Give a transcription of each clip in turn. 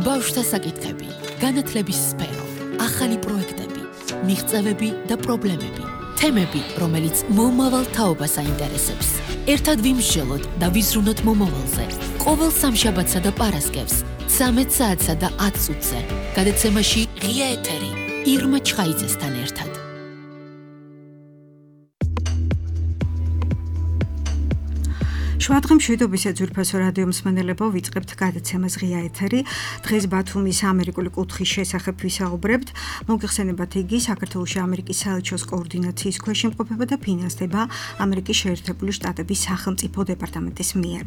ბავშვთა საკითხები, განათლების სფერო, ახალი პროექტები, მიღწევები და პრობლემები, თემები, რომელიც მომავალ თაობას აინტერესებს. ერთად ვიმსჯელოთ და ვიზრუნოთ მომავალზე. ყოველ სამშაბათსა და პარასკევს 13 საათსა და 10 წუთზე. გადაცემაში ღია ეთერი ირმა ჩხაიძესთან ერთად. შვადღემ შვიდობის ძვირფასო რადიო მსმენელებო, ვიწყებთ გადაცემას ღია ეთერი. დღეს ბათუმის ამერიკული კუთხის შესახებ ვისაუბრებთ. მოგეხსენებათ იგი საქართველოში ამერიკის საელჩოს კოორდინაციის ქვეშ იმყოფება და ფინანსდება ამერიკის შეერთებული შტატების სახელმწიფო დეპარტამენტის მიერ.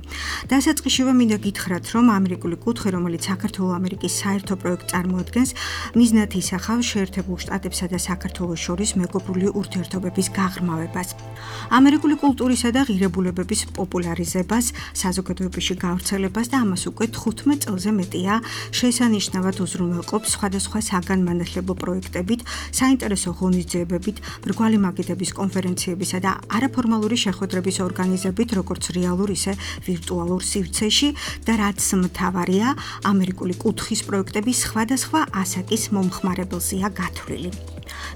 დასაწყისშივე მინდა გითხრათ, რომ ამერიკული კუთხე, რომელიც საქართველო-ამერიკის საერთო პროექტს წარმოადგენს, მიზნად ისახავს შეერთებულ შტატებსა და საქართველოს შორის მეგობრული ურთიერთობების გაღრმავებას. ამერიკული კულტურისა და ღირებულებების პოპულარიზებას, საზოგადოებაში გავრცელებას და ამას უკვე 15 წელზე მეტია შესანიშნავად უზრუნველყოფს სხვადასხვა საგანმანათლებლო პროექტებით, საინტერესო ღონისძიებებით, მრგვალი მაგიდების კონფერენციებისა და არაფორმალური შეხვედრების ორგანიზებით, როგორც რეალურ, ისე ვირტუალურ სივრცეში და რაც მთავარია, ამერიკული კუთხის პროექტები სხვადასხვა ასაკის მომხმარებელზეა გათვლილი.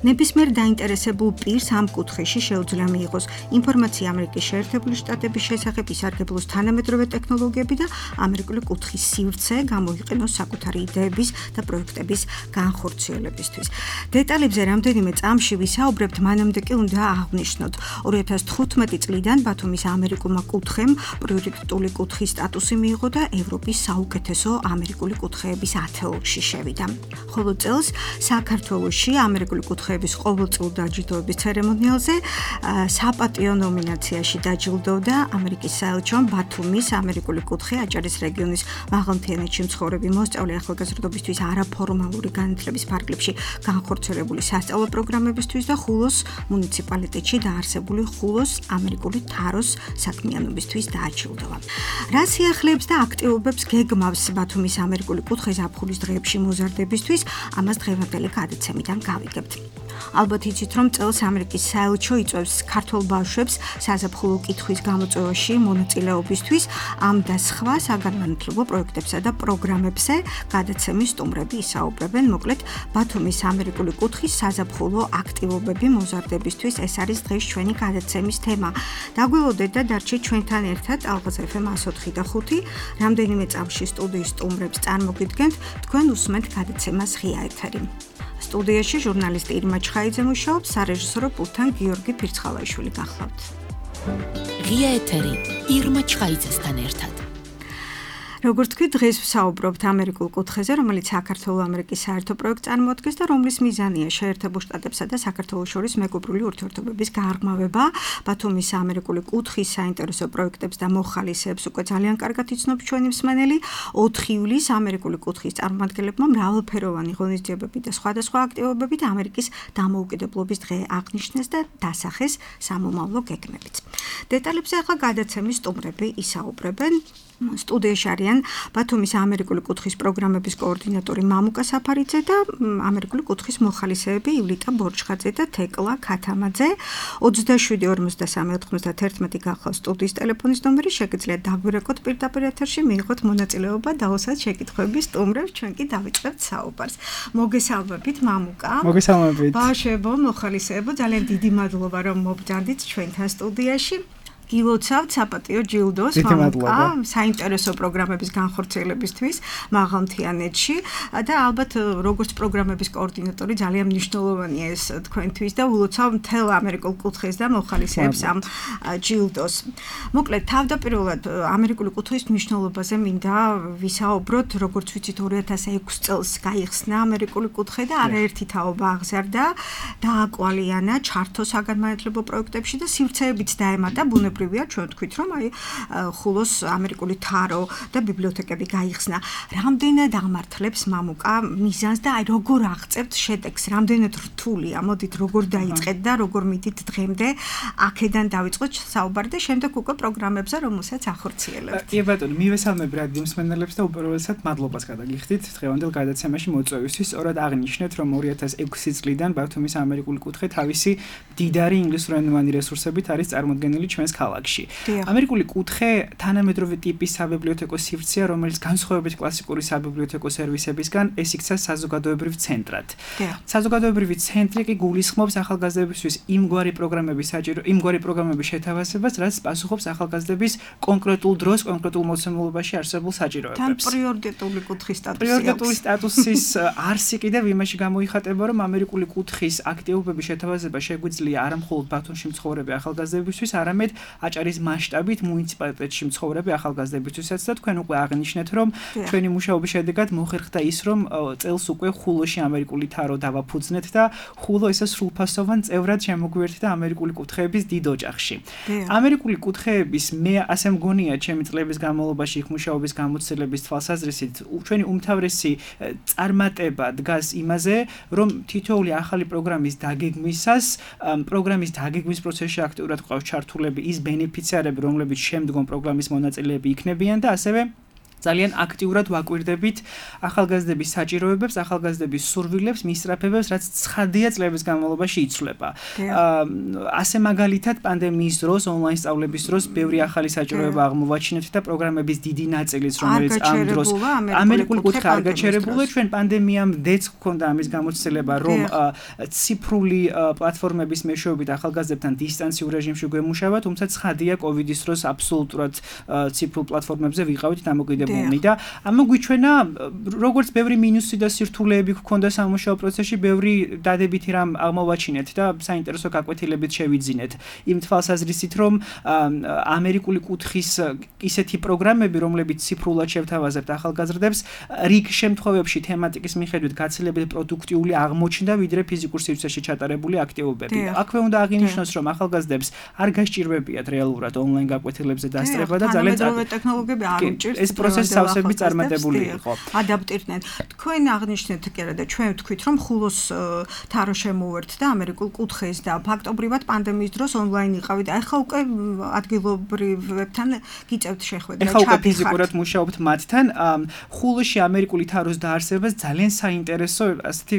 ნებისმიერ დაინტერესებულ პირს ამ კუთხეში შეუძლია მიიღოს ინფორმაცია ამერიკის შეერთებული შტატების შესახებ, ისარგებლოს თანამედროვე ტექნოლოგიები და ამერიკული კუთხის სივრცე გამოიყენოს საკუთარი იდეების და პროექტების განხორციელებისთვის. დეტალებზე რამდენიმე წამში ვისაუბრებთ, მანამდე კი უნდა აღვნიშნოთ. 2015 წლიდან ბათუმის ამერიკულმა კუთხემ პრიორიტეტული კუთხის სტატუსი მიიღო და ევროპის საუკეთესო ამერიკული კუთხეების 10-ში შევიდა. ხოლო წელს საქართველოში ამერიკული კუთხეების ყოველწლიურ დაჯილდოების ცერემონიალზე საპატიო ნომინაციაში დაჯილდოვდა ამერიკის საელჩომ ბათუმის ამერიკული კუთხე, აჭარის რეგიონის მაღალმთიანეთში მცხოვრები მოსწავლე ახალგაზრდობისთვის არაფორმალური განათლების ფარგლებში განხორციელებული სასწავლო პროგრამებისთვის და ხულოს მუნიციპალიტეტში დაარსებული ხულოს ამერიკული თაროს საქმიანობისთვის დააჯილდოვა. რა სიახლეებს და აქტივობებს გეგმავს ბათუმის ამერიკული კუთხე ზაფხულის დღეებში მოზარდებისთვის, ამას დღევანდელი გადაცემიდან გავიგებთ. ალბათ იცით, რომ წელს ამერიკის საელჩო იწვევს ქართველ ბავშვებს საზაფხულო კითხვის გამოწვევაში მონაწილეობისთვის, ამ და სხვა საგანმანათლებლო პროექტებსა და პროგრამებზე გადაცემის სტუმრები ისაუბრებენ. მოკლედ, ბათუმის ამერიკული კუთხის საზაფხულო აქტივობები მოზარდებისთვის, ეს არის დღეს ჩვენი გადაცემის თემა. დაგველოდეთ და დარჩეთ ჩვენთან ერთად ალღაზ FM 104 და 5. რამდენიმე წამში სტუდიის სტუმრებს წარმოგიდგენთ, თქვენ უსმენთ გადაცემას ღია ეთერი. სტუდიაში ჟურნალისტი ირმა ჩხაიძე მუშაობს, სარეჟისორო პულტთან გიორგი ფირცხალაიშვილი გახლავთ. ღია ეთერი ირმა ჩხაიძესთან ერთად. როგორც თქვი, დღეს ვსაუბრობთ ამერიკულ კუთხეზე, რომელიც საქართველო-ამერიკის საერთო პროექტს წარმოადგენს და რომლის მიზანია შეერთებულ შტატებსა და საქართველოს შორის მეგობრული ურთიერთობების გაღრმავება. ბათუმის ამერიკული კუთხის საინტერესო პროექტებს და მოხალისეებს უკვე ძალიან კარგად იცნობს ჩვენი მსმენელი. 4 ივლისს ამერიკული კუთხის წარმომადგენლებმა მრავალფეროვანი ღონისძიებები და სხვადასხვა აქტივობებით ამერიკის დამოუკიდებლობის დღე აღნიშნეს და დასახეს სამომავლო გეგმებით. დეტალებზე ახლა გადაცემის სტუმრები ისაუბრებენ. სტუდიაში არიან ბათუმის ამერიკული კუთხის პროგრამების კოორდინატორი მამუკა საფარიძე და ამერიკული კუთხის მოხალისეები ივლიტა ბორჩხაძე და თეკლა ქათამაძე. 27-93-91 გახლავს სტუდიის ტელეფონის ნომერი, შეგიძლიათ დაგვირეკოთ პირდაპირ ეთერში, მიიღოთ მონაწილეობა და უსად შეკითხვების სტუმრებს, ჩვენ კი დავიწყებთ საუბარს. მოგესალმებით მამუკა. მოგესალმებით. ბავშვებო, მოხალისეებო, ძალიან დიდი მადლობა რომ მობრძანდით ჩვენთან სტუდიაში. გილოცავთ საპატიო ჯილდოს მამუკა საინტერესო პროგრამების განხორციელებისთვის მაღალმთიანეთში და ალბათ როგორც პროგრამების კოორდინატორი ძალიან მნიშვნელოვანია ეს თქვენთვის და ულოცავ მთელ ამერიკულ კუთხეს და მოხალისეებს ამ ჯილდოს. მოკლედ, თავდაპირველად ამერიკული კუთხის მნიშვნელობაზე მინდა ვისაუბროთ, როგორც ვიცით 2006 წელს გაიხსნა ამერიკული კუთხე და არაერთი თაობა აღზარდა, დააკვალიანა ჩართო საგანმანათლებლო პროექტებში და სივრცეებიც დაემატა ბუნებრივი პრივია ჩვენ თქვით რომ აი ხულოს ამერიკული თარო და ბიბლიოთეკები გაიხსნა. რამდენად აღმართლებს მამუკა მიზანს და აი როგორ აღწევთ შედეგს? რამდენად რთულია? მოდით როგორ დაიწყეთ და როგორ მიდით დღემდე? აქედან დავიწყოთ საუბარი და შემდეგ უკვე პროგრამებზე რომელსაც ახორციელებთ. კი ბატონო, მივესალმებ რადიო მსმენელებს და უპირველესად მადლობას გადაგიხდით დღევანდელ გადაცემაში მოწვევისთვის. სწორად აღნიშნეთ რომ 2006 წლიდან ბათუმის ამერიკული კუთხე თავისი მდიდარი ინგლისურენოვანი რესურსებით არის წარმოდგენილი ჩვენს ქალაქში. ამერიკული კუთხე თანამედროვე ტიპის საბიბლიოთეკო სივრცეა, რომელიც განსხვავებით კლასიკური საბიბლიოთეკო სერვისებისგან ეს იქცა საზოგადოებრივ ცენტრად. საზოგადოებრივი ცენტრი კი გულისხმობს ახალგაზრდებისთვის იმგვარი პროგრამების შეთავაზებას, რაც პასუხობს ახალგაზრდების კონკრეტულ დროს, კონკრეტულ მოცემულობაში არსებულ საჭიროებებს. თან პრიორიტეტული კუთხის სტატუსი. პრიორიტეტული სტატუსის არსი კიდევ იმაში გამოიხატება, რომ ამერიკული კუთხის აქტივობების შეთავაზება შეგვიძლია არა მხოლოდ ბათუმში მცხოვრები ახალგაზრდებისთვის, არამედ აჭარის მასშტაბით მუნიციპალიტეტში მცხოვრები ახალგაზრდებისთვისაც და თქვენ უკვე აღნიშნეთ, რომ ჩვენი მუშაობის შედეგად მოხერხდა ის, რომ წელს უკვე ხულოში ამერიკული თარო დავაფუძნეთ და ხულო ესე სრულფასოვან წევრად შემოგვიერთდა ამერიკული კუთხეების დიდ ოჯახში. ამერიკული კუთხეების მე ასე მგონია ჩემი წლების განმავლობაში იქ მუშაობის გამოცდილების თვალსაზრისით ჩვენი უმთავრესი წარმატება დგას იმაზე, რომ თითოეული ახალი პროგრამის დაგეგმვისას, პროგრამის დაგეგმვის პროცესში აქტიურად ყავს ჩართულები ის ბენეფიციარები, რომლებიც შემდგომ პროგრამის მონაწილეები იქნებიან და ასევე ძალიან აქტიურად ვაკვირდებით ახალგაზრდების საჭიროებებს, ახალგაზრდების სურვილებს, მისწრაფებებს, რაც ცხადია წლების განმავლობაში იცვლება. ასე მაგალითად პანდემიის დროს, ონლაინ სწავლების დროს ბევრი ახალი საჭიროება აღმოვაჩინეთ და პროგრამების დიდი ნაწილიც, რომელიც ამ დროს ამერიკული კუთხე არ გაჩერებულა, ჩვენ პანდემიამდეც გვქონდა ამის გამოცდილება, რომ ციფრული პლატფორმების მეშვეობით ახალგაზრდებთან დისტანციურ რეჟიმში გვემუშავა, თუმცა ცხადია კოვიდის დროს აბსოლუტურად ციფრულ პლატფორმებზე ვიყავით დამოკიდებული და ამა გვიჩვენა როგორც ბევრი მინუსი და სირთულეები გვქონდა სამუშაო პროცესში, ბევრი დადებითი რამ აღმოვაჩინეთ და საინტერესო გაკვეთილებით შევიძინეთ. იმ თვალსაზრისით, რომ ამერიკული კუთხის ისეთი პროგრამები, რომლებიც ციფრულად შევთავაზებთ ახალგაზრდებს, რიგ შემთხვევებში თემატიკის მიხედვით გაცილებით პროდუქტიული აღმოჩნდა, ვიდრე ფიზიკურ სივრცეში ჩატარებული აქტივობები. აქვე უნდა აღინიშნოს, რომ ახალგაზრდებს არ გასჭირვებიათ რეალურად ონლაინ გაკვეთილებზე დასწრება და ძალიან ტექნოლოგიები არ უჭირთ ეს პროცესი სავსებით წარმატებული იყო. ადაპტირდნენ. თქვენ აღნიშნეთ კიდე და ჩვენ ვთქვით, რომ ხულოს თარო შემოუერთდა ამერიკულ კუთხეს და ფაქტობრივად პანდემიის დროს ონლაინ იყავით. ახლა უკვე ადგილობრივებთან გიწევთ შეხვედრა. ახლა უკვე ფიზიკურად მუშაობთ მათთან. ხულოში ამერიკული თაროს დაარსებას ძალიან საინტერესო, ასეთი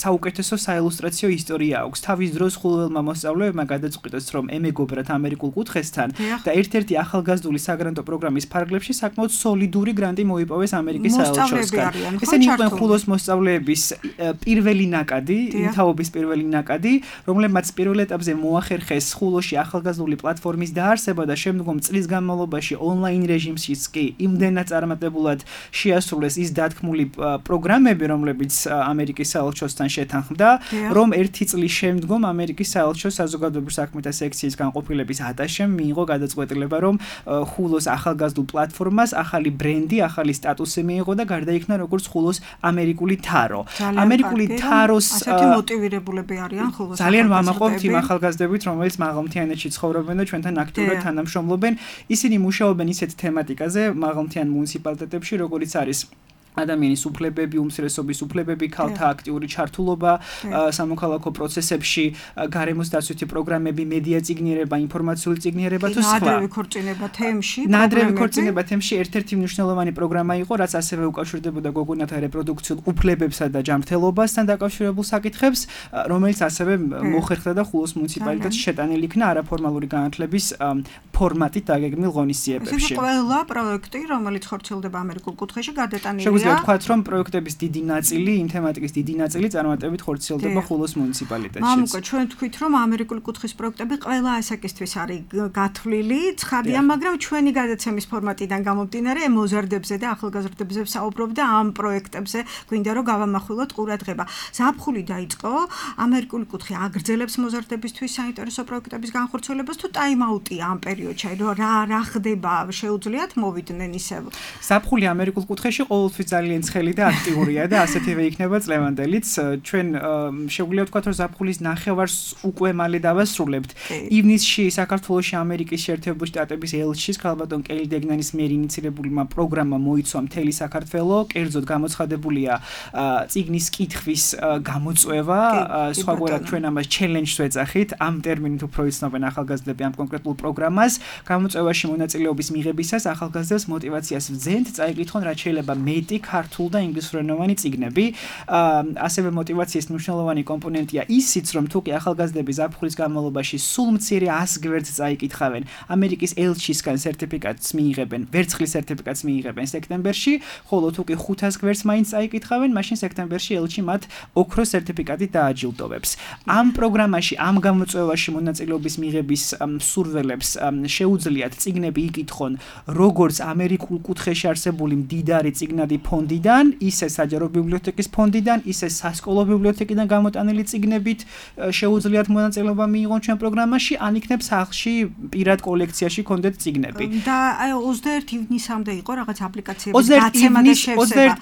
საუკეთესო საილუსტრაციო ისტორია აქვს. თავის დროს ხულელმა მოსწავლეებმა გადაწყვიტეს, რომ ემეგობრათ ამერიკულ კუთხესთან და ერთ-ერთი ახალგაზრდული საგრანტო პროგრამის ფარგლებში საკმაოდ სოლიდური გრანტი მოიპოვეს ამერიკის საელჩოსგან. ესენი იყვნენ ხულოს მოსწავლეების პირველი ნაკადი, იმთაობის პირველი ნაკადი, რომლებმაც პირველ ეტაპზე მოახერხეს ხულოში ახალგაზრდული პლატფორმის დაარსება და შემდგომ წლის განმავლობაში ონლაინ რეჟიმშიც კი იმდენად წარმატებულად შეასრულეს ის დათქმული პროგრამები, რომლებიც ამერიკის საელჩოსთან შეთანხმდა, რომ ერთი წლის შემდგომ ამერიკის საელჩოს საზოგადოებრივ საქმეთა სექციის განყოფილების ატაშემ მიიღო გადაწყვეტილება, რომ ხულოს ახალგაზრდულ პლატფორმას ახალი ბრენდი, ახალი სტატუსი მიიღო და გარდაიქმნა როგორც ხულოს ამერიკული თარო. ამერიკული თაროს ასეთი მოტივირებულები არიან ხულოს. ძალიან ვამაყობთ იმ ახალგაზრდებით, რომელიც მაღალმთიანეთში ცხოვრობენ და ჩვენთან აქტიურად თანამშრომლობენ. ისინი მუშაობენ ისეთ თემატიკაზე მაღალმთიან მუნიციპალიტეტებში, როგორიც არის ადამიანის უფლებები, უმცირესობის უფლებები, ქალთა აქტიური ჩართულობა სამოქალაქო პროცესებში, გარემოს დაცვითი პროგრამები, მედია წიგნიერება, ინფორმაციული წიგნიერება თუ სხვა. ნადრევი ქორწინება თემში, ნადრევი ქორწინება თემში ერთ-ერთი მნიშვნელოვანი პროგრამა იყო, რაც ასევე უკავშირდებოდა გოგონათა რეპროდუქციულ უფლებებსა და ჯანმრთელობასთან დაკავშირებულ საკითხებს, რომელიც ასევე მოხერხდა და ხულოს მუნიციპალიტეტში შეტანილი იქნა არაფორმალური განათლების ფორმატით დაგეგმილ ღონისძიებებში. ეს ყველა პროექტი, რომელიც ხორციელდება ამერიკულ კუთხეში, გადატანილია ვთქვათ, რომ პროექტების დიდი ნაწილი, იმ თემატიკის დიდი ნაწილი წარმატებით ხორციელდება ხულოს მუნიციპალიტეტში. მამუკა, ჩვენ ვთქვით, რომ ამერიკული კუთხის პროექტები ყველა ასაკისთვის არის გათვლილი, ცხადია, მაგრამ ჩვენი გადაცემის ფორმატიდან გამომდინარე, მოზარდებზე და ახალგაზრდებზე ვსაუბრობ და ამ პროექტებზე გვინდა რომ გავამახვილოთ ყურადღება. ზაფხული დაიწყო, ამერიკული კუთხე აგრძელებს მოზარდებისთვის საინტერესო პროექტების განხორციელებას თუ ტაიმაუტია ამ პერიოდში, რა ხდება, შეუძლიათ მოვიდნენ ისევ. ზაფხული ამერიკულ კუთხეში ყოველთვის ძალიან ცხელი და აქტიურია და ასეთივე იქნება წლევანდელიც. ჩვენ შეგვიძლია ვთქვათ, რომ ზაფხულის ნახევარს უკვე მალე დავასრულებთ. ივნისში საქართველოში ამერიკის შეერთებული შტატების ელჩის ქალბატონ კელი დეგნანის მიერ ინიცირებულმა პროგრამმა მოიცვა მთელი საქართველო, კერძოდ გამოცხადებულია წიგნის კითხვის გამოწვევა, სხვაგვარად ჩვენ ამას ჩელენჯს ვეძახით, ამ ტერმინით უფრო იცნობენ ახალგაზრდები ამ კონკრეტულ პროგრამას. გამოწვევაში მონაწილეობის მიღებისას ახალგაზრდებს მოტივაციას ვძენთ, წაიკითხონ რაც შეიძლება მეტი ქართულ და ინგლისურენოვანი წიგნები. ასევე მოტივაციის მნიშვნელოვანი კომპონენტია ისიც, რომ თუ კი ახალგაზრდები ზაფხულის განმავლობაში სულ მცირე 100 გვერდს წაიკითხავენ, ამერიკის ელჩისგან სერტიფიკატს მიიღებენ, ვერცხლის სერტიფიკატს მიიღებენ სექტემბერში, ხოლო თუ კი 500 გვერდს მაინც წაიკითხავენ, მაშინ სექტემბერში ელჩი მათ ოქროს სერტიფიკატით დააჯილდოვებს. ამ პროგრამაში, ამ გამოწვევაში მონაწილეობის მიღების მსურველებს შეუძლიათ წიგნები იკითხონ როგორც ამერიკულ კუთხეში არსებული მდიდარი წიგნადი ფონდიდან, ისე საჯარო ბიბლიოთეკის ფონდიდან, ისე სასკოლო ბიბლიოთეკიდან გამოტანილი წიგნებით შეუძლიათ მონაწილეობა მიიღონ ჩვენ პროგრამაში, ან იქნებ სახლში პირად კოლექციაში კონდეთ წიგნები. და 21 ივნისამდე იყო რაღაც აპლიკაციების დაცემა და შევსება.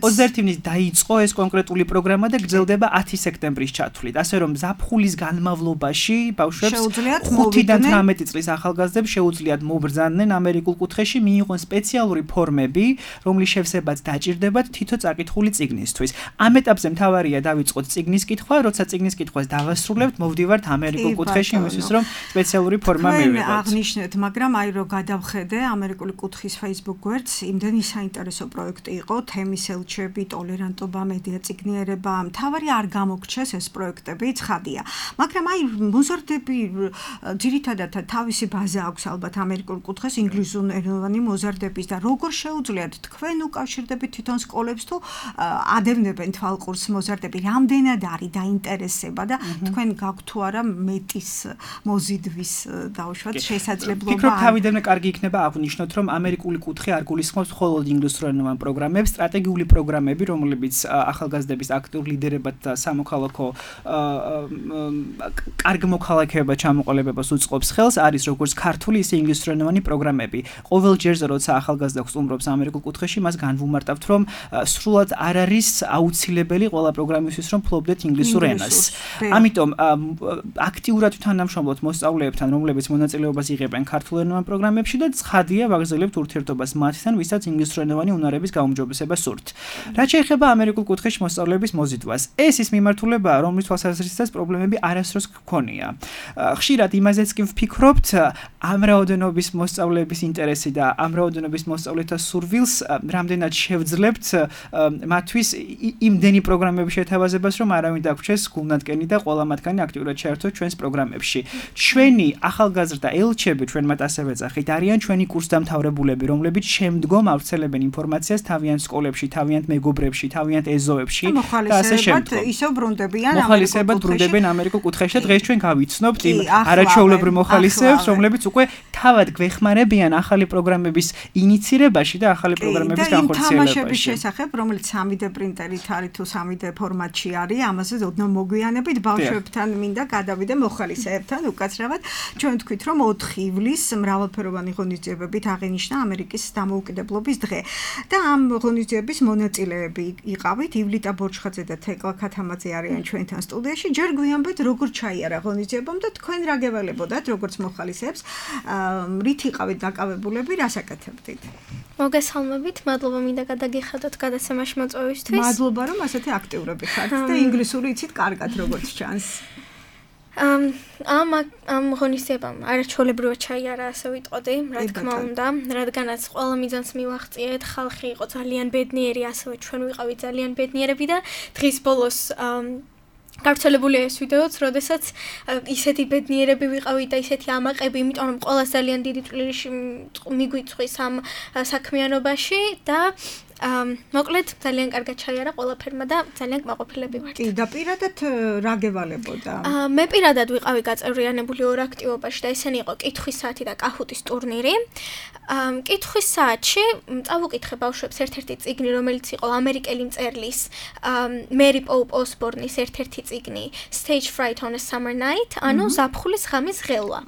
21 ივნის დაიწყო ეს კონკრეტული პროგრამა და გრძელდება 10 სექტემბრის ჩათვლით. ასე რომ ზაფხულის განმავლობაში ბავშვებს 5-დან 18 წლის ახალგაზრდებს შეუძლიათ მობრძანდნენ ამერიკულ კუთხეში, მიიღონ სპეციალური ფორმები, რომლის შევსებაც დაჭირდებათ თითო წაკითხული წიგნისთვის. ამ ეტაპზე მთავარია დავიწყოთ წიგნის კითხვა, როცა წიგნის კითხვას დავასრულებთ, მოვდივართ ამერიკულ კუთხეში იმისთვის, რომ სპეციალური ფორმა მივიღოთ. აღნიშნეთ, მაგრამ აი რომ გადავხედე ამერიკული კუთხის Facebook გვერდს, იმდენი საინტერესო პროექტი იყო, თემის ელჩები, ტოლერანტობა, მედია წიგნიერება, მთავარი არ გამოგრჩეს ეს პროექტები, ცხადია. მაგრამ აი მოზარდები ძირითადად თავისი ბაზა აქვს ალბათ ამერიკულ კუთხეს ინგლისურენოვანი მოზარდების და როგორ შეუძლიათ თქვენ უკავშირდებით თვითონ სკოლებს თუ ადევნებენ თვალყურს მოზარდები, რამდენად არის დაინტერესება და თქვენ გაქვთ თუ არა მეტის მოზიდვის დაუშვათ შესაძლებლობა. ფიქრობ თავიდანვე კარგი იქნება აღვნიშნოთ, რომ ამერიკული კუთხე არ გულისხმობს მხოლოდ ინგლისურენოვან პროგრამებს, სტრატეგიული პროგრამები, რომლებიც ახალგაზრდების აქტიურ ლიდერებად და სამოქალაქო კარგ მოქალაქეებად ჩამოყალიბებას უწყობს ხელს, არის როგორც ქართული, ისე ინგლისურენოვანი პროგრამები. ყოველ ჯერზე, როცა ახალგაზრდა სტუმრობს ამერიკულ კუთხეში, მას განვუმარტავთ, რომ სრულად არ არის აუცილებელი ყველა პროგრამისთვის, რომ ფლობდეთ ინგლისურ ენას. ამიტომ აქტიურად თანამშრომლობთ მოსწავლეებთან, რომლებიც მონაწილეობას იღებენ ქართულენოვან პროგრამებში და ცხადია ვაგრძელებთ ურთიერთობას მათთან, ვისაც ინგლისურენოვანი უნარების გაუმჯობესება სურთ. რაც შეეხება ამერიკულ კუთხეში მოსწავლეების მოზიდვას, ეს ის მიმართულებაა, რომლის თვალსაზრისითაც პრობლემები არასდროს გქონია. ხშირად იმაზეც კი ვფიქრობთ, ამ რაოდენობის მოსწავლეების ინტერესი და ამ რაოდენობის მოსწავლეთა სურვილს რამდენად შევძლებთ მათთვის იმდენი პროგრამების შეთავაზებას, რომ არავინ დაგვრჩეს გულნათკენი და ყველა მათგანი აქტიურად შეერთოს ჩვენს პროგრამებში. ჩვენი ახალგაზრდა ელჩები, ჩვენ მათ ასევე ვეძახით, არიან ჩვენი კურსდამთავრებულები, რომლებიც შემდგომ ავრცელებენ ინფორმაციას თავიანთ სკოლებში, თავიანთ მეგობრებში, თავიანთ ეზოებში და ასე შემდგომ. ისევ ბრუნდებიან ამერიკულ კუთხეში და დღეს ჩვენ გავიცნობთ იმ არაჩვეულებრივ მოხალისეებს, რომლებიც უკვე თავად გვეხმარებიან ახალი პროგრამების ინიცირებაში და ახალი პროგრამების განხორციელებაში. იმ თამაშების შესახებ, რომელიც 3D პრინტერით არის თუ 3D ფორმატში არის, ამაზე ოდნავ მოგვიანებით ბავშვებთან მინდა გადავიდე მოხალისეებთან უკაცრავად. ჩვენ თქვით, რომ 4 ივლისს მრავალფეროვანი ღონისძიებებით აღინიშნა ამერიკის დამოუკიდებლობის დღე. და ამ ღონისძიების მონაწილეები იყავით ივლიტა ბორჩხაძე და თეკლა ქათამაძე არიან ჩვენთან სტუდიაში. ჯერ გვიანბეთ როგორ ჩაიარა ღონისძიებამ და თქვენ რა გეველებოდათ როგორც მოხალისეებს, რით იყავით დაკავებულები, რას აკეთებდით? მოგესალმებით, მადლობა მინდა გადაგიხადოთ გადაცემაში მოწვევისთვის. მადლობა რომ ასეთი აქტიურები ხართ და ინგლისური იცით კარგად როგორც ჩანს. ამ ღონისძიებამ არაჩვეულებრივად ჩაიარა, ასე ვიტყოდი, რა თქმა უნდა, რადგანაც ყველა მიზანს მივაღწიეთ, ხალხი იყო ძალიან ბედნიერი, ასევე ჩვენ ვიყავით ძალიან ბედნიერები და დღის ბოლოს გავრცელებულია ეს ვიდეოც, როდესაც ისეთი ბედნიერები ვიყავით და ისეთი ამაყები, იმიტომ რომ ყველას ძალიან დიდი წვლილი მიგვიწვის ამ საქმიანობაში და მოკლედ ძალიან კარგად ჩაიარა ყველაფერმა და ძალიან კმაყოფილები ვართ. კი, და პირადად რა გევალებოდა? მე პირადად ვიყავი გაწევრიანებული ორ აქტივობაში და ესენი იყო კითხვის საათი და კაჰუტის ტურნირი. კითხვის საათში წავუკითხე ბავშვებს ერთ-ერთი წიგნი, რომელიც იყო ამერიკელი მწერლის მერი პოუპ ოსბორნის ერთ-ერთი წიგნი Stage Fright on a Summer Night, ანუ ზაფხულის ღამის ღელვა.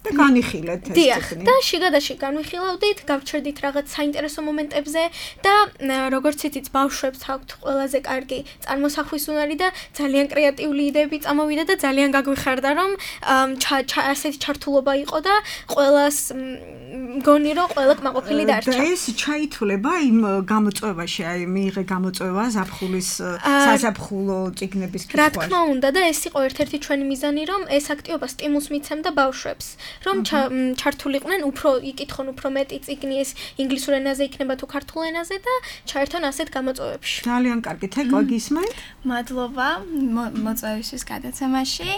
და განიხილეთ ეს წიგნი. და შიგადაში განვიხილავდით, გავჩერდით რაღაც საინტერესო მომენტებზე და როგორც იცით, ბავშვებს აქვთ ყველაზე კარგი წარმოსახვის უნარი და ძალიან კრეატიული იდეები წამოვიდა და ძალიან გაგვიხარდა, რომ ასეთი ჩართულობა იყო და ყველას მგონი რომ ყველა კმაყოფილი დარჩა. და ეს ჩაითვლება იმ გამოწვევაში, აი მიიღე გამოწვევა ზაფხულის საზაფხულო წიგნების კითხვაში. რა თქმა უნდა და ეს იყო ერთ-ერთი ჩვენი მიზანი, რომ ეს აქტივობა სტიმულს მიცემდა ბავშვებს. რომ ჩართულიყვნენ უფრო იკითხონ უფრო მეტი წიგნი ეს ინგლისურ ენაზე იქნება თუ ქართულ ენაზე და ჩაერთონ ასეთ გამოწვევებში. ძალიან კარგი, თეკლა გისმენთ? მადლობა მოწვევისთვის გადაცემაში.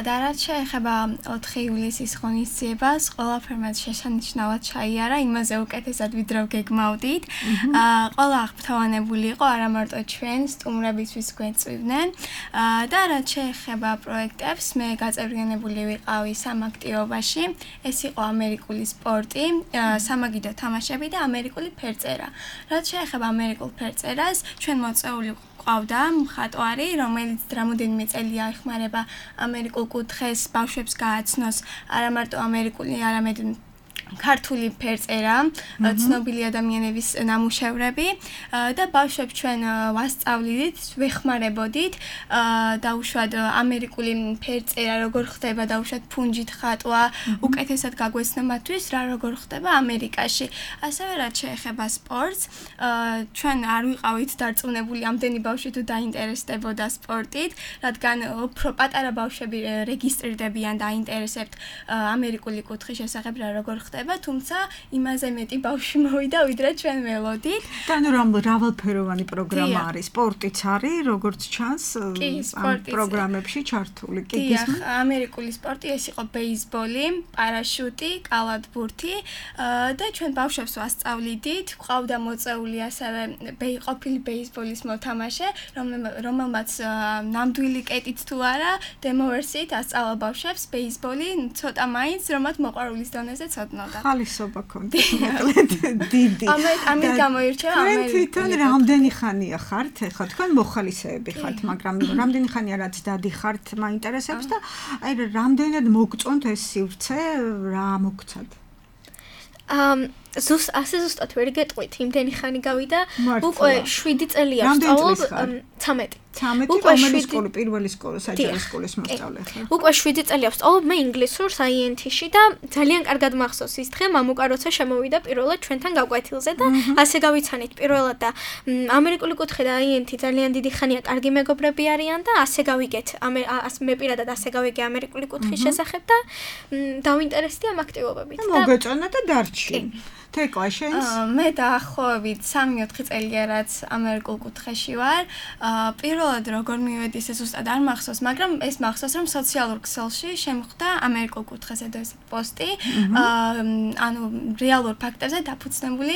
და რაც შეეხება 4 ივლისის ღონისძიებას, ყველაფერმა შესანიშნავად ჩაიარა, იმაზე უკეთესად ვიდრე გეგმავდით. ყველა აღფრთოვანებული იყო, არა მარტო ჩვენ სტუმრებისთვის გვეწვივდნენ. და რაც შეეხება პროექტებს, მე გაწევრიანებული ვიყავი სამ აქტივობაში. ეს იყო ამერიკული სპორტი, სამაგიდო თამაშები და ამერიკული ფერწერა. რაც შეეხება ამერიკულ ფერწერას, ჩვენ მოწვეული ყავდა მხატვარი, რომელიც რამოდენიმე წელია ეხმარება ამერიკულ კუთხეს ბავშვებს გააცნოს არა მარტო ამერიკული, არამედ ქართული ფერწერა, ცნობილი ადამიანების ნამუშევრები და ბავშვებს ჩვენ ვასწავლით, ვეხმარებოდით დაუშვათ ამერიკული ფერწერა როგორ ხდება, დაუშვათ ფუნჯით ხატვა, უკეთესად გაგვეცნა მათთვის რა როგორ ხდება ამერიკაში. ასევე რაც შეეხება სპორტს, ჩვენ არ ვიყავით დარწმუნებული ამდენი ბავშვი თუ დაინტერესდებოდა სპორტით, რადგან უფრო პატარა ბავშვები რეგისტრირდებიან და აინტერესებთ ამერიკული კუთხის შესახებ რა როგორ ხდება. თუმცა იმაზე მეტი ბავშვი მოვიდა ვიდრე ჩვენ ველოდით. და ნუ რავალფეროვანი პროგრამა არის, სპორტიც არის, როგორც ჩანს ამ პროგრამებში ჩართული. კი, ამერიკული სპორტი ეს იყო ბეისბოლი, პარაშუტი, კალათბურთი და ჩვენ ბავშვებს ვასწავლიდით. ყავდა მოწეული ასევე ყოფილი ბეისბოლის მოთამაშე, რომელმაც ნამდვილი კეტით თუ არა, დემო ვერსიით ასწავლა ბავშვებს ბეისბოლი, ცოტა მაინც რომათ მოყვარულის დონეზე ცოდნა. ხალისობა კონდეთ მოკლედ დიდი. ამით გამოირჩევა ამერიკული. თვითონ რამდენი ხანია ხართ? ეხლა თქვენ მოხალისეები ხართ, მაგრამ რამდენი ხანია რაც დადიხართ, მაინტერესებს და აი რამდენად მოგწონთ ეს სივრცე, რა მოგცად? ზუსტად ვერ გეტყვით, იმდენი ხანი გავიდა, უკვე 7 წელია ვსწავლობ 13. უკვე სკოლა, პირველი სკოლა, საჯარო სკოლის მოსწავლე ხარ. უკვე 7 წელია ვსწავლობ მე ინგლისურს INT-ში და ძალიან კარგად მახსოვს ის დღე, მამუკა როცა შემოვიდა პირველად ჩვენთან გაკვეთილზე და ასე გავიცანით პირველად და ამერიკული კუთხე და INT ძალიან დიდი ხანია კარგი მეგობრები არიან და ასე გავიგეთ, მე პირადად ასე გავიგე ამერიკული კუთხის შესახებ და დავინტერესდი ამ აქტივობებით. მოგეწონა და დარჩი. თეკლა შენს? მე დაახლოებით 3-4 წელია რაც ამერიკულ კუთხეში ვარ. პირველად როგორ მივედი ეს ზუსტად არ მახსოვს, მაგრამ ეს მახსოვს რომ სოციალურ ქსელში შემხვდა ამერიკულ კუთხეზე და ეს პოსტი. ანუ რეალურ ფაქტებზე დაფუძნებული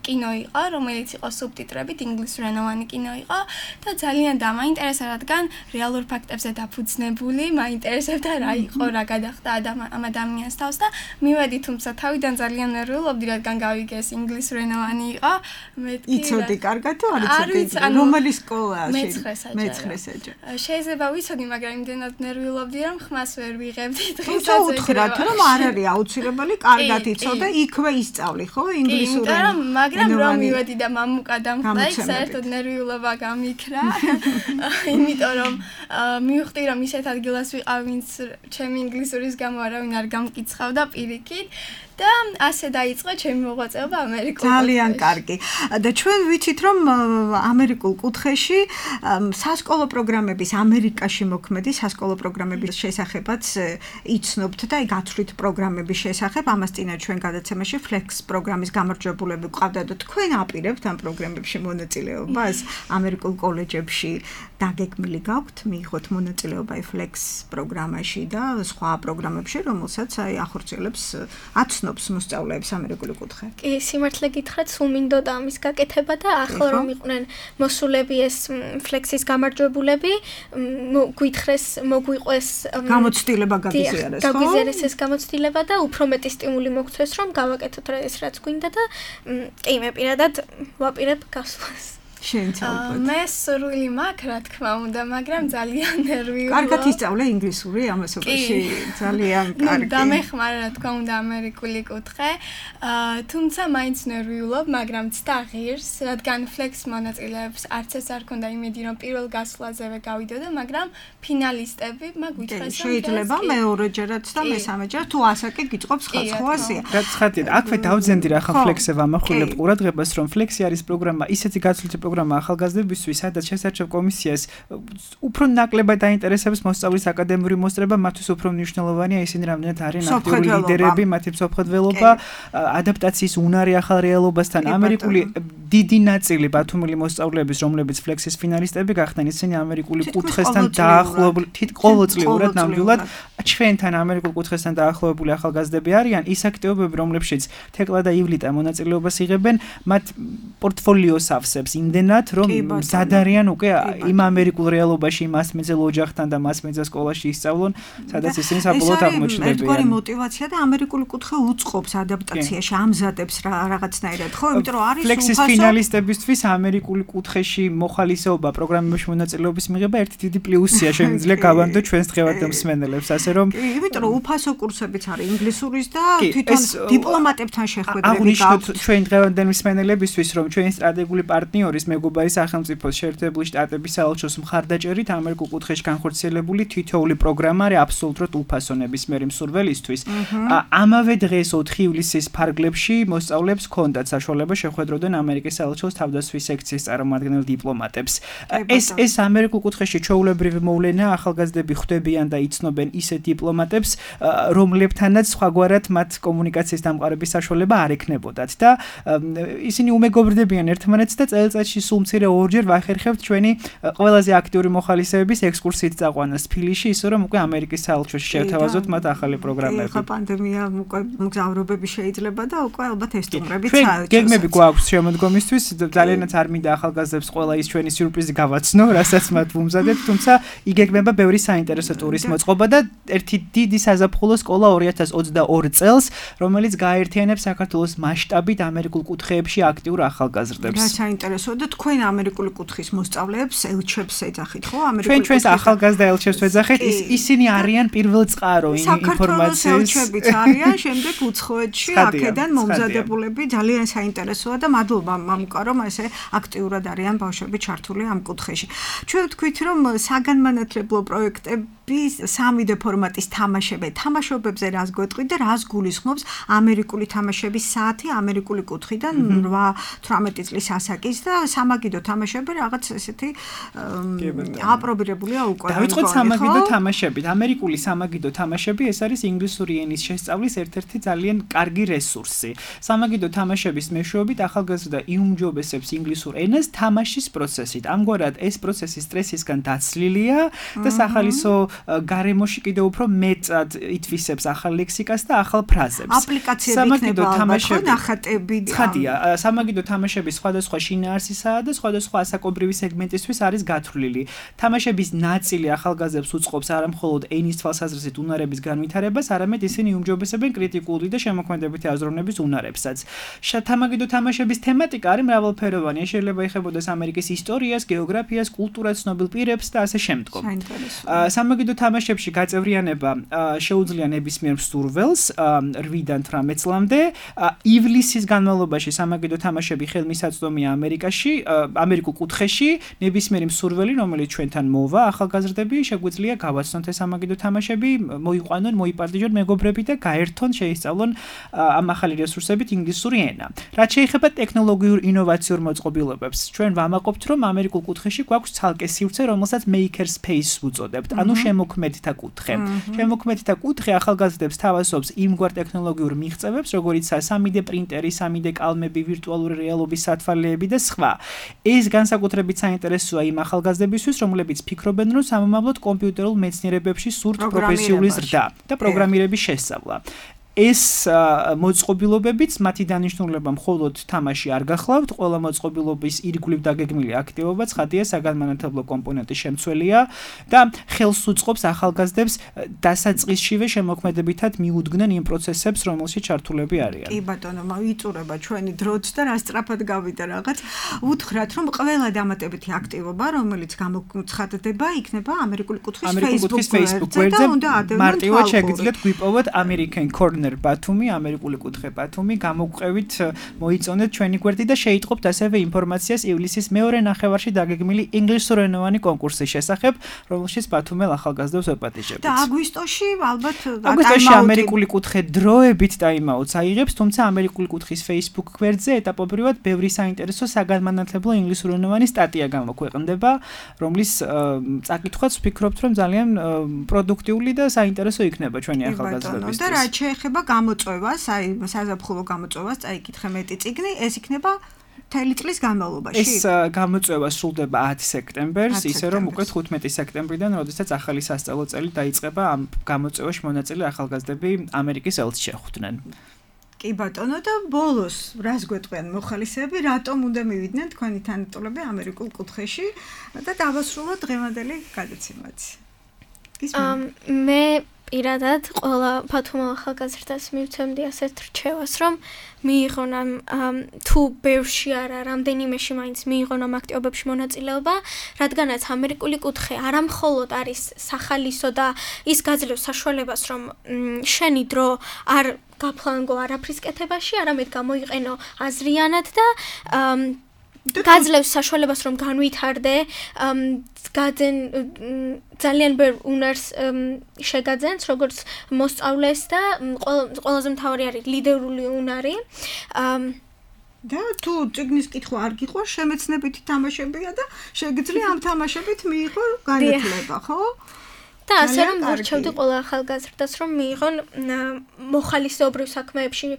კინო იყო, რომელიც იყო სუბტიტრებით, ინგლისურენოვანი კინო იყო და ძალიან დამაინტერესა, რადგან რეალურ ფაქტებზე დაფუძნებული, მაინტერესებდა რა იყო, რა გადახდა ამ ადამიანს თავს და მივედი, თუმცა თავიდან ძალიან ნერვიულობდი, რადგან გავიგე ეს ინგლისურენოვანი იყო. იცოდი კარგად თუ არ იცოდი? რომელი სკოლაა? მე-9 საჯარო. შეიძლება ვიცოდი, მაგრამ იმდენად ნერვიულობდი, რომ ხმას ვერ ვიღებდი დღესაც. თუ უთხრათ, რომ არ არის აუცილებელი, კარგად იცოდე, იქვე ისწავლი, ხო, ინგლისურად. მაგრამ რომ მივედი და მამუკა დამხდა, იქ საერთოდ ნერვიულობა გამიქრა. იმიტომ რომ მივხვდი, რომ ისეთ ადგილას ვიყავ, ვინც ჩემი ინგლისურის გამო არავინ არ გამკიცხავდა პირიქით. და ასე დაიწყო ჩემი მოღვაწეობა ამერიკულ კუთხეში. ძალიან კარგი. და ჩვენ ვიცით რომ ამერიკულ კუთხეში სასკოლო პროგრამების ამერიკაში მოქმედი სასკოლო პროგრამების შესახებაც იცნობთ და გაცვლით პროგრამების შესახებ. ამას წინა ჩვენ გადაცემაში Flex პროგრამის გამარჯვებულები ყავდა და თქვენ აპირებთ ამ პროგრამებში მონაწილეობას ამერიკულ კოლეჯებში დაგეგმილი გაქვთ მიიღოთ მონაწილეობა Flex პროგრამაში და სხვა პროგრამებში, რომელსაც ახორციელებს აცნობს მოსწავლეებს ამერიკული კუთხე. კი, სიმართლე გითხრათ, სულ მინდოდა ამის გაკეთება და ახლა რომ იყვნენ მოსულები ეს Flex-ის გამარჯვებულები, გვითხრეს, მოგვიყვეს გამოცდილება გაგიზიარეს, ხო? გაგიზიარეს ეს გამოცდილება და უფრო მეტი სტიმული მოგცეს, რომ გავაკეთოთ ეს რაც გვინდა და კი, მე პირადად ვაპირებ გასვლას. მე სურვილი მაქვს, რა თქმა უნდა, მაგრამ ძალიან ნერვიულია. კარგად ისწავლე ინგლისური ამასობაში, ძალიან კარგი. დამეხმარა, რა თქმა უნდა, ამერიკული კუთხე. თუმცა მაინც ნერვიულობ, მაგრამ ცდა ღირს, რადგან Flex მონაწილეებს არც ეს არ ქონდა იმედი, რომ პირველ გასვლაზევე გავიდოდა, მაგრამ ფინალისტები მაგვითხრეს. შეიძლება მეორეჯერაც და მესამეჯერ თუ ასაკი გიწყობს ხალხოასია. რაც ხათია, აქვე დავძენდი რა ხა Flex-ე ვამახვილებ ყურადღებას, რომ Flex-ი არის პროგრამა, ისეთი გაცვლითი პროგრამა ახალგაზრდებისთვის, სადაც შესარჩევ კომისიას უფრო ნაკლებად დაინტერესებს მოსწავლის აკადემიური მოსწრება, მათთვის უფრო მნიშვნელოვანია ისინი რამდენად არიან აქტიური ლიდერები, მათი მსოფლმხედველობა, ადაპტაციის უნარი ახალ რეალობასთან. ამერიკული დიდი ნაწილი ბათუმელი მოსწავლეების, რომლებიც ფლექსის ფინალისტები გახდნენ, ისინი ამერიკული კუთხესთან დაახლოებული, ყოველწლიურად ნამდვილად ჩვენთან ამერიკულ კუთხესთან დაახლოებული ახალგაზრდები არიან. ის აქტივობები, რომლებშიც თეკლა და ივლიტა მონაწილეობას იღებენ, მათ პორტფოლიოს ავსებს იმდენად, რომ მზად არიან უკვე იმ ამერიკულ რეალობაში მასმეძელ ოჯახთან და მასმეძელ სკოლაში ისწავლონ, სადაც ისინი საბოლოოდ აღმოჩნდებიან. ერთგვარი мотиваცია და ამერიკული კუთხე უწყობს ადაპტაციაში, ამზადებს რაღაცნაირად, ხო? იმიტომ რომ არის ფლექსის ფინალისტებისთვის ამერიკული კუთხეში მოხალისეობა პროგრამებში მონაწილეობის მიღება ერთი დიდი პლუსია, შემიძლია გავანდო ჩვენს დღევანდელ მსმენელებს, ასე რომ იმიტომ რომ უფასო კურსებიც არის ინგლისურის და თვითონ დიპლომატებთან შეხვედრები აღვნიშნოთ ჩვენ დღევანდელ მსმენელებისთვის, რომ ჩვენი სტრატეგიული პარტნიორის მეგობარი სახელმწიფოს შეერთებული შტატების საელჩოს მხარდაჭერით ამერიკულ კუთხეში განხორციელებული თითოეული პროგრამა არის აბსოლუტურად უფასო ნებისმიერი მსურველისთვის. ამავე დღეს 4 ივლისის ფარგლებში მოსწავლეებს ჰქონდათ საშუალება შეხვედროდნენ ამერიკის საელჩოს თავდაცვის სექციის წარმომადგენელ დიპლომატებს. ეს ამერიკულ კუთხეში ჩვეულებრივი მოვლენაა, ახალგაზრდები ხვდებიან და იცნობენ ისეთ დიპლომატებს, რომლებთანაც სხვაგვარად მათ კომუნიკაციის დამყარების საშუალება არ ექნებოდათ და ისინი უმეგობრდებიან ერთმანეთს და წელიწადში სულ მცირე ორჯერ ვახერხებთ ჩვენი ყველაზე აქტიური მოხალისეების ექსკურსიით წაყვანას თბილისში, ისე რომ უკვე ამერიკის საელჩოში შევთავაზოთ მათ ახალი პროგრამები. ხა პანდემია უკვე მგზავრობები შეიძლება და უკვე ალბათ ეს სტუმრებიც საელჩოს. გეგმები გვაქვს შემოდგომისთვის, ძალიანაც არ მინდა ახალგაზრდებს ყველა ის ჩვენი სიურპრიზი გავაცნო, რასაც მათ ვუმზადებთ, თუმცა იგეგმება ბევრი საინტერესო ტურის მოწყობა და ერთი დიდი საზაფხულო სკოლა 2022 წელს, რომელიც გააერთიანებს საქართველოს მასშტაბით ამერიკულ კუთხეებში აქტიურ ახალგაზრდებს. რა საინტერესოა და თქვენ ამერიკული კუთხის მოსწავლეებს ელჩებს ეძახით, ხო? ჩვენს ახალგაზრდა ელჩებს ვეძახით, ისინი არიან პირველ წყარო ინფორმაციის. ელჩებიც არიან, შემდეგ უცხოეთში აქედან მომზადებულები, ძალიან საინტერესოა და მადლობა მამუკა, რომ ესე აქტიურად არიან ბავშვები ჩართული ამ კუთხეში. ჩვენ ვთქვით, რომ საგანმანათლებლო პროექტები 3D ფორმატის თამაშობებზე რას გვეტყვით და რას გულისხმობს ამერიკული თამაშების საათი ამერიკული კუთხიდან 8-18 წლის ასაკის და სამაგიდო თამაშები რაღაც ესეთი აპრობირებულია უკვე. დავიწყოთ სამაგიდო თამაშებით. ამერიკული სამაგიდო თამაშები ეს არის ინგლისური ენის შესწავლის ერთ-ერთი ძალიან კარგი რესურსი. სამაგიდო თამაშების მეშვეობით ახალგაზრდა იუმჯობესებს ინგლისურ ენას თამაშის პროცესით. ამგვარად ეს პროცესი სტრესისგან დაცლილია და სახალისო გარემოში კიდევ უფრო მეტად ითვისებს ახალ ლექსიკას და ახალ ფრაზებს. აპლიკაციები იქნება ალბათ ნახატები. ცხადია, სამაგიდო თამაშები სხვადასხვა შინაარსისაა და სხვადასხვა ასაკობრივი სეგმენტისთვის არის გათვლილი. თამაშების ნაწილი ახალგაზრდებს უწყობს არა მხოლოდ ენის თვალსაზრისით უნარების განვითარებას, არამედ ისინი იუმჯობესებენ კრიტიკული და შემოქმედებითი აზროვნების უნარებსაც. სამაგიდო თამაშების თემატიკა არის მრავალფეროვანი. შეიძლება ეხებოდეს ამერიკის ისტორიას, გეოგრაფიას, კულტურას, ცნობილ პირებს და ასე შემდგომ. სამაგიდო თამაშებში გაწევრიანება შეუძლია ნებისმიერ მსურველს 8-დან 18 წლამდე. ივლისის განმავლობაში სამაგიდო თამაშები ხელმისაწვდომია ამერიკაში, ამერიკულ კუთხეში. ნებისმიერი მსურველი, რომელიც ჩვენთან მოვა, ახალგაზრდები, შეგვიძლია გავაცნოთ ეს სამაგიდო თამაშები, მოიყვანონ, მოიპარდიჟონ მეგობრები და გაერთონ, შეისწავლონ ამ ახალი რესურსებით ინგლისური ენა. რაც შეეხება ტექნოლოგიურ ინოვაციურ მოწყობილობებს, ჩვენ ვამაყობთ, რომ ამერიკულ კუთხეში გვაქვს ცალკე სივრცე, რომელსაც maker space უწოდებთ, ანუ შემოქმედთა კუთხე. შემოქმედთა კუთხე ახალგაზრდებს თავაზობს იმგვარ ტექნოლოგიურ მიღწევებს, როგორიცაა 3D პრინტერი, 3D კალმები, ვირტუალური რეალობის სათვალეები და სხვა. ეს განსაკუთრებით საინტერესოა იმ ახალგაზრდებისთვის, რომლებიც ფიქრობენ, რომ სამომავლოდ კომპიუტერულ მეცნიერებებში სურთ პროფესიული ზრდა და პროგრამირების შესწავლა. ეს მოწყობილობებიც მათი დანიშნულება მხოლოდ თამაში არ გახლავთ, ყველა მოწყობილობის ირგვლივ დაგეგმილი აქტივობა ცხადია საგანმანათლებლო კომპონენტის შემცველია და ხელს უწყობს ახალგაზრდებს დასაწყისშივე შემოქმედებითად მიუდგნენ იმ პროცესებს, რომელშიც ჩართულები არიან. კი ბატონო, ვიწურება ჩვენი დროც და რა სწრაფად გავიდა რაღაც. უთხრათ, რომ ყველა დამატებითი აქტივობა, რომელიც გამოცხადდება, იქნება ამერიკული კუთხის Facebook გვერდზე და უნდა ადევნონ მარტივად შეგიძლიათ გვიპოვოთ American Corner პარტნერ ბათუმი, ამერიკული კუთხე ბათუმი, გამოგყვევით მოიწონეთ ჩვენი გვერდი და შეიტყობთ ასევე ინფორმაციას ივლისის მეორე ნახევარში დაგეგმილი ინგლისურენოვანი კონკურსის შესახებ, რომელშიც ბათუმელ ახალგაზრდებს ვეპატიჟებთ. და აგვისტოში ალბათ აგვისტოში ამერიკული კუთხე დროებით ტაიმაუტს აიღებს, თუმცა ამერიკული კუთხის Facebook გვერდზე ეტაპობრივად ბევრი საინტერესო საგანმანათლებლო ინგლისურენოვანი სტატია გამოქვეყნდება, რომლის წაკითხვაც ვფიქრობთ, რომ ძალიან პროდუქტიული და საინტერესო იქნება ჩვენი ახალგაზრდებისთვის. და რაც შეეხება გამოწვევას, აი საზაფხულო გამოწვევას წაიკითხე მეტი წიგნი, ეს იქნება მთელი წლის განმავლობაში. ეს გამოწვევა სრულდება 10 სექტემბერს, ისე რომ უკვე 15 სექტემბრიდან, როდესაც ახალი სასწავლო წელი დაიწყება, ამ გამოწვევაში მონაწილე ახალგაზრდები ამერიკის ელჩს შეხვდნენ. კი ბატონო და ბოლოს რას გვეტყვიან მოხალისეები, რატომ უნდა მივიდნენ თქვენი თანატოლები ამერიკულ კუთხეში და დავასრულოთ დღევანდელი გადაცემაც. მე პირადად ყველა ბათუმელ ახალგაზრდას მივცემდი ასეთ რჩევას, რომ მიიღონ თუ ბევრში არა, რამდენიმეში მაინც მიიღონ ამ აქტივობებში მონაწილეობა, რადგანაც ამერიკული კუთხე არა მხოლოდ არის სახალისო და ის გაძლევს საშუალებას, რომ შენი დრო არ გაფლანგო არაფრის კეთებაში, არამედ გამოიყენო აზრიანად და გაძლევს საშუალებას, რომ განვითარდე, ძალიან ბევრ უნარს შეგაძენს, როგორც მოსწავლეს და ყველაზე მთავარი არის ლიდერული უნარი. და თუ წიგნის კითხვა არ გიყვარს, შემეცნებითი თამაშებია და შეგიძლია ამ თამაშებით მიიღო განათლება, ხო? და ასე რომ ვურჩევდი ყველა ახალგაზრდას, რომ მიიღონ მოხალისეობრივ საქმეებში,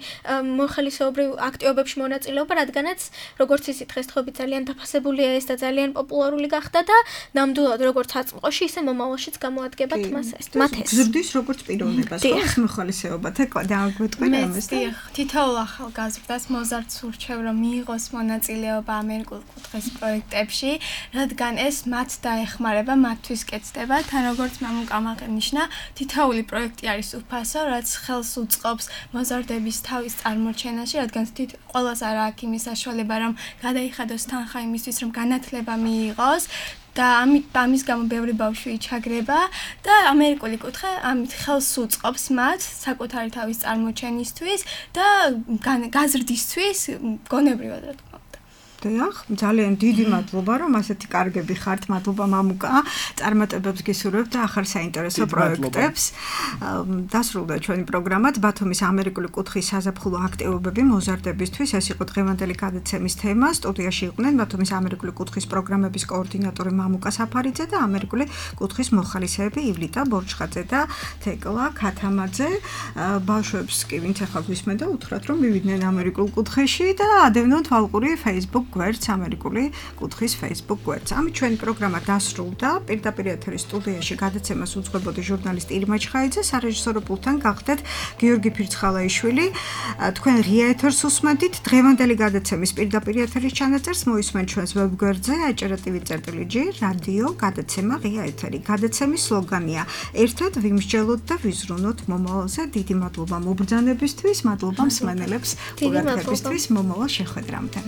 მოხალისეობრივ აქტივობებში მონაწილეობა, რადგანაც როგორც იცით, დღესდღეობით ძალიან დაფასებულია ეს და ძალიან პოპულარული გახდა და ნამდვილად როგორც აწმყოში, ისე მომავალშიც გამოადგებათ მათ ეს. გზრდის როგორც პიროვნებას, ხო, ეს მოხალისეობა. თქო, დააგვეტყვი ამას და თითოეულ ახალგაზრდას მოზარდს ვურჩევ, რომ მიიღოს მონაწილეობა ამერიკულ კუთხის პროექტებში, რადგან ეს მათ დაეხმარება, მათთვის კეთდება, თან როგორც გამაღნიშნა, თითოეული პროექტი არის უფასო, რაც ხელს უწყობს მოზარდების თავის წარმოჩენაში, რადგან ყველას არ აქვს იმის საშუალება, რომ გადაიხადოს თანხა იმისთვის, რომ განათლება მიიღოს და ამის გამო ბევრი ბავშვი ჩაგრება და ამერიკული კუთხე ამით ხელს უწყობს მათ საკუთარი თავის წარმოჩენისთვის და გაზრდისთვის გონებრივად რა თქმა უნდა. დიახ, ძალიან დიდი მადლობა, რომ ასეთი კარგები ხართ. მადლობა მამუკა, წარმატებებს გისურვებთ და ახალ საინტერესო პროექტებს. დასრულდა ჩვენი პროგრამა ბათუმის ამერიკული კუთხის საზაფხულო აქტივობები მოზარდებისთვის. ეს იყო დღევანდელი გადაცემის თემა. სტუდიაში იყვნენ ბათუმის ამერიკული კუთხის პროგრამების კოორდინატორი მამუკა საფარიძე და ამერიკული კუთხის მოხალისეები ივლიტა ბორჩხაძე და თეკლა ქათამაძე. ბავშვებს კი ვინც ახლა გვისმენ და უთხრათ, რომ მივიდნენ ამერიკულ კუთხეში და ადევნოთ ვალყური Facebook გვერდს, ამერიკული კუთხის Facebook გვერდს. ამით ჩვენი პროგრამა დასრულდა. პირდაპირ ეთერის სტუდიაში გადაცემას უძღვებოდი ჟურნალისტი ირმა ჩხაიძე, სარეჟისორო პულტთან გახდეთ გიორგი ფირცხალაიშვილი. თქვენ ღია ეთერს უსმენთ. დღევანდელი გადაცემის პირდაპირ ეთერის ჩანაწერს მოისმენთ ჩვენს ვებგვერდზე acerativi.gr რადიო გადაცემა ღია ეთერი. გადაცემის სლოგანია: ერთად ვიმსჯელოთ და ვიზრუნოთ მომავალზე. დიდი მადლობა მობრძანებისთვის, მადლობა მსმენელებს ყურადღებისთვის. მომავალ შეხვედრამდე.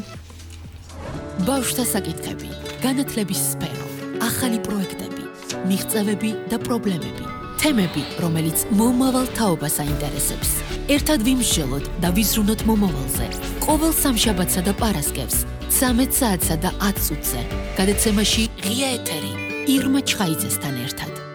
ბავშვთა საკითხები, განათლების სფერო, ახალი პროექტები, მიღწევები და პრობლემები, თემები, რომელიც მომავალ თაობას აინტერესებს. ერთად ვიმსჯელოთ და ვიზრუნოთ მომავალზე. ყოველ სამშაბათსა და პარასკევს 13 საათსა და 10 წუთზე. გადაცემაში ღია ეთერი ირმა ჩხაიძესთან ერთად.